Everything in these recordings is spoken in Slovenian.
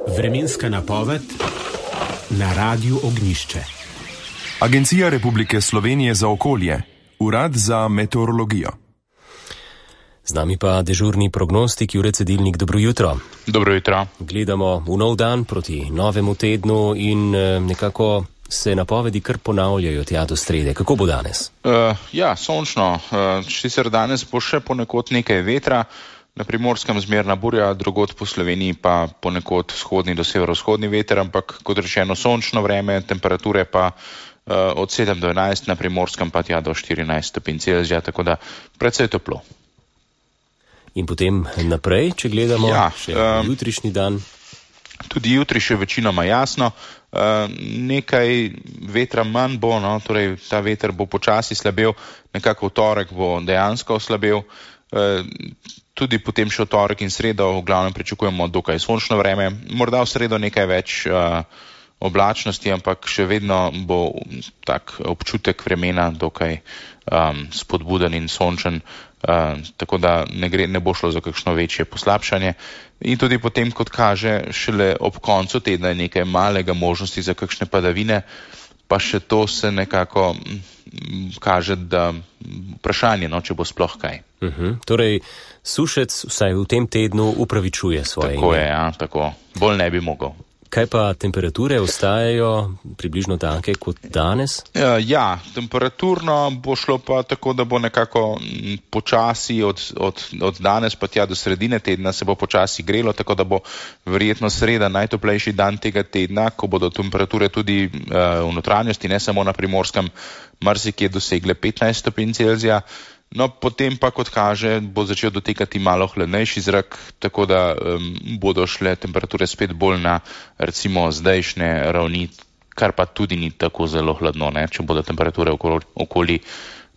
Vremenska napoved na Radiu Ognjišče. Agencija Republike Slovenije za okolje, Urad za meteorologijo. Z nami pa dežurni prognostik Jure Cedilnik. Dobro jutro. Dobro jutro. Gledamo v nov dan proti novemu tednu in nekako se napovedi kar ponavljajo tja do srede. Kako bo danes? Sončno. Sicer danes bo še ponekod nekaj vetra, na Primorskem zmerna burja, drugod po Sloveniji pa ponekod vzhodni do severovzhodni veter, ampak kot rečeno sončno vreme, temperature pa od 7 do 11, na Primorskem pa tja do 14 stopinj Celzija, tako da precej toplo. In potem naprej, če gledamo še jutrišnji dan? Tudi jutri še večinoma jasno, nekaj vetra manj bo, torej ta veter bo počasi slabel, nekako v torek bo dejansko oslabel, tudi potem še v torek in sredo v glavnem pričakujemo dokaj sončno vreme, morda v sredo nekaj več oblačnosti, ampak še vedno bo tak občutek vremena dokaj spodbuden in sončen, tako da ne bo šlo za kakšno večje poslabšanje. In tudi potem, kot kaže, šele ob koncu tedna je nekaj malega možnosti za kakšne padavine, pa še to se nekako kaže, da vprašanje, če bo sploh kaj. Torej, sušec vsaj v tem tednu upravičuje svoje ime. Tako je, tako. Bolj ne bi mogel. Kaj pa temperature ostajajo približno take kot danes? Temperaturno bo šlo pa tako, da bo nekako počasi od danes pa tja do sredine tedna se bo počasi grelo, tako da bo verjetno sreda najtoplejši dan tega tedna, ko bodo temperature tudi v notranjosti, ne samo na Primorskem, marsikje dosegle 15 stopinj Celzija. Potem pa, kot kaže, bo začel dotekati malo hladnejši zrak, tako da bodo šle temperature spet bolj na recimo zdajšnje ravni, kar pa tudi ni tako zelo hladno, če bodo temperature okoli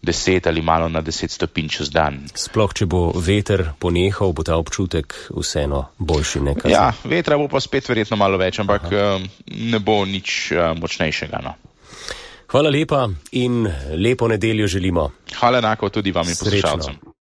10 ali malo na 10 stopinj čez dan. Sploh, če bo veter ponehal, bo ta občutek vseeno boljši nekaj. Vetra bo pa spet verjetno malo več, ampak ne bo nič močnejšega. Hvala lepa in lepo nedeljo želimo. Hvala enako tudi vam in poslušalcem.